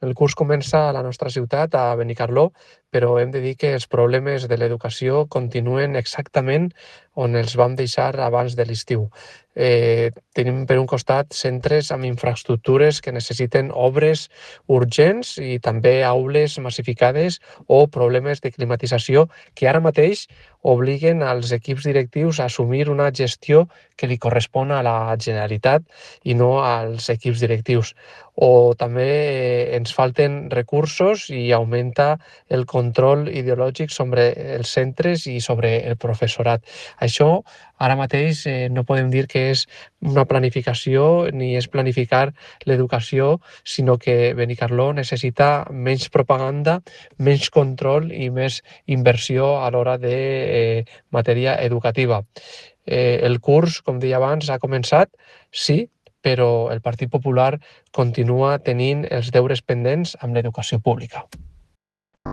El curs comença a la nostra ciutat, a Benicarló, però hem de dir que els problemes de l'educació continuen exactament on els vam deixar abans de l'estiu. Tenim per un costat centres amb infraestructures que necessiten obres urgents i també aules massificades o problemes de climatització que ara mateix obliguen als equips directius a assumir una gestió que li correspon a la Generalitat i no als equips directius. O també ens falten recursos i augmenta el control ideològic sobre els centres i sobre el professorat. Això ara mateix no podem dir que és una planificació ni és planificar l'educació, sinó que Benicarló necessita menys propaganda, menys control i més inversió a l'hora de matèria educativa. El curs, com deia abans, ha començat, sí, però el Partit Popular continua tenint els deures pendents amb l'educació pública.